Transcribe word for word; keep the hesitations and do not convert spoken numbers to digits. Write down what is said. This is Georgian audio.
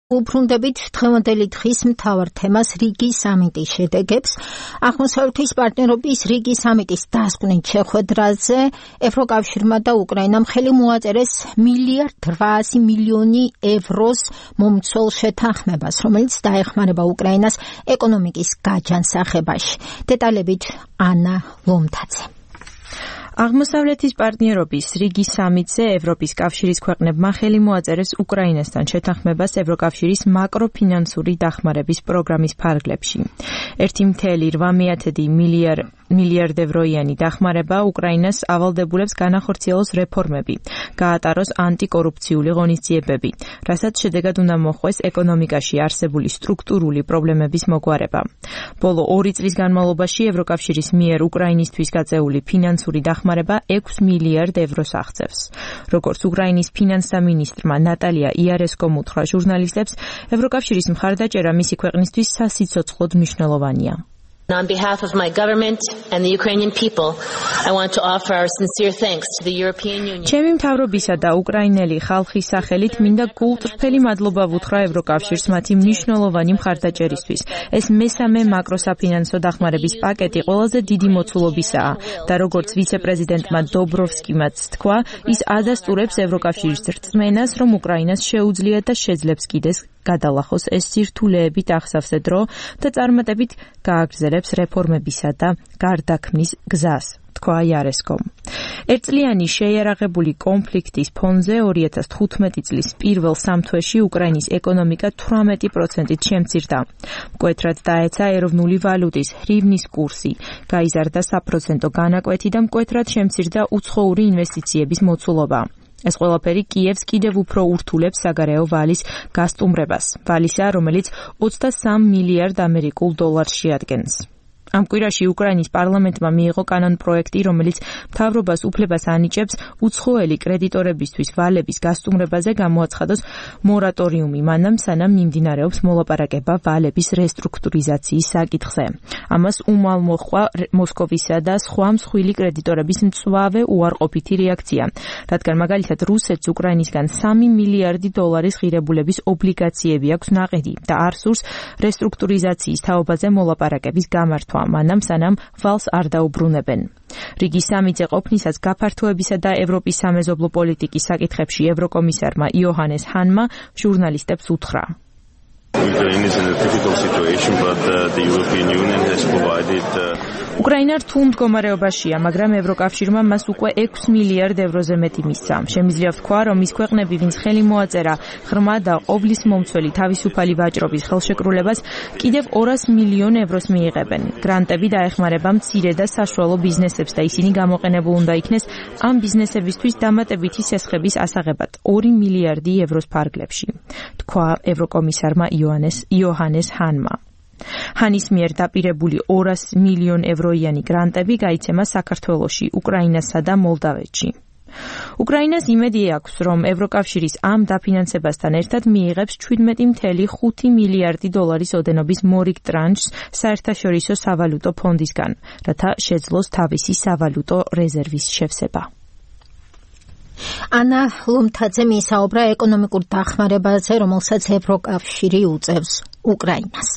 უბრუნდებით დღევანდელი დღის მთავარ თემას რიგი სამიტის შედეგებს. აღმოსავლეთის პარტნიორობის რიგი სამიტის დასკვნით შეხვედრაზე ევროკავშირმა და უკრაინამ ხელი მოაწერეს მილიარდ რვაასი მილიონი ევროს მომცველ შეთანხმებას, რომელიც დაეხმარება უკრაინას ეკონომიკის გაჯანსაღებაში. დეტალებით ანა ლომთაძე. აღმოსავლეთის პარტნიორობის რიგი სამიტზე ევროპის კავშირის ქვეყნებმა ხელი მოაწერეს უკრაინასთან შეთანხმებას ევროკავშირის მაკროფინანსური დახმარების პროგრამის ფარგლებში. ერთი მცდელო რვა მიათედი მილიარდ ევროიანი დახმარება უკრაინას ავალდებულებს განახორციელოს რეფორმები, გაატაროს ანტიკორუფციული ღონისძიებები, რასაც შედეგად უნდა მოხვდეს ეკონომიკაში არსებული სტრუქტურული პრობლემების მოგვარება. ბოლო ორი წლის განმავლობაში ევროკავშირის მიერ უკრაინისთვის გაწეული ფინანსური დახმარება ექვს მილიარდ ევროს აღწევს. როგორც უკრაინის ფინანსთა მინისტრმა ნატალია იარესკომ უთხრა ჟურნალისტებს, ევროკავშირის მხარდაჭერა მისი ქვეყნისთვის სასიცოცხლოდ მნიშვნელოვანია. On behalf of my government and the Ukrainian people, I want to offer our sincere thanks to the European Union. ჩემი მთავრობისა და უკრაინელი ხალხის სახელით მინდა გულწრფელი მადლობა ვუთხრა ევროკავშირს მათი მნიშვნელოვანი მხარდაჭერისთვის. ეს მესამე მაკროსაფინანსო დახმარების პაკეტი ყველაზე დიდი მოცულობისაა და როგორც ვიცე-პრეზიდენტმა დობროვსკიმაც თქვა, ის ადასტურებს ევროკავშირის რწმენას, რომ უკრაინას შეუძლია და შეძლებს კიდეს გადალახოს ეს სირთულეებით აღსავსე დრო და წარმატებით გააგრძელებს რეფორმებისა და გარდაქმნის გზას, თქვა იარესკომ. ერთწლიანი შეიარაღებული კონფლიქტის ფონზე ორი ათას თხუთმეტი წლის პირველ სამთვეში უკრაინის ეკონომიკა თვრამეტი პროცენტით შემცირდა. მკვეთრად დაეცა ეროვნული ვალუტის ჰრივნის კურსი, გაიზარდა საპროცენტო განაკვეთი და მკვეთრად შემცირდა უცხოური ინვესტიციების მოცულობა. ეს ყველაფერი კიევს კიდევ უფრო ურთულებს საგარეო ვალის გასტუმრებას, ვალისა, რომელიც ოცდასამ მილიარდ ამერიკულ დოლარს შეადგენს. ამ კვირაში უკრაინის პარლამენტმა მიიღო კანონპროექტი, რომელიც მთავრობას უფლებას ანიჭებს უცხოელი კრედიტორებისთვის ვალების გასტუმრებაზე გამოაცხადოს მორატორიუმი, მანამ სანამ მიმდინარეობს მოლაპარაკება ვალების რესტრუქტურიზაციის საკითხზე. ამას უმალ მოჰყვა მოსკოვისა და სხვა მსხვილი კრედიტორების მწვავე უარყოფითი რეაქცია, რადგან მაგალითად რუსეთს უკრაინისგან სამი მილიარდი დოლარის ღირებულების ობლიგაციები აქვს ნაყიდი და არ სურს რესტრუქტურიზაციის თაობაზე მოლაპარაკების გამართვა. მანამ სანამ ვალს არ დაუბრუნებენ. რიგი სამიტზე ყოფნისას გაფართოებისა და ევროპის სამეზობლო პოლიტიკის საკითხებში ევროკომისარმა იოჰანეს ჰანმა ჟურნალისტებს უთხრა. უკრაინა რთულ მდგომარეობაშია, მაგრამ ევროკავშირმა მას უკვე ექვს მილიარდ ევროზე მეტი მისცა. შემიძლია ვთქვა, რომ ის ქვეყნები, ვინც ხელი მოაწერა ღრმა და ყოვლის მომცველი თავისუფალი ვაჭრობის ხელშეკრულებას, კიდევ ორას მილიონ ევროს მიიღებენ. გრანტები დაეხმარება მცირე და საშუალო ბიზნესებს და ისინი გამოყენებულ უნდა იქნეს ამ ბიზნესებისთვის დამატებითი სესხების ასაღებად ორი მილიარდი ევროს ფარგლებში, თქვა ევროკომისარმა იოჰანეს ჰანმა. ჰანის მიერ დაპირებული ორასი მილიონ ევროიანი გრანტები გაიცემა საქართველოში, უკრაინასა და მოლდავეთში. უკრაინას იმედი აქვს, რომ ევროკავშირის ამ დაფინანსებასთან ერთად მიიღებს შვიდმეტი მცდელო ხუთი მილიარდი დოლარის ოდენობის მორიგ ტრანშს საერთაშორისო სავალუტო ფონდისგან, რათა შეძლოს თავისი სავალუტო რეზერვის შევსება. ანა ლომთაძე მისაუბრა ეკონომიკურ დახმარებაზე, რომელსაც ევროკავშირი უწევს უკრაინას.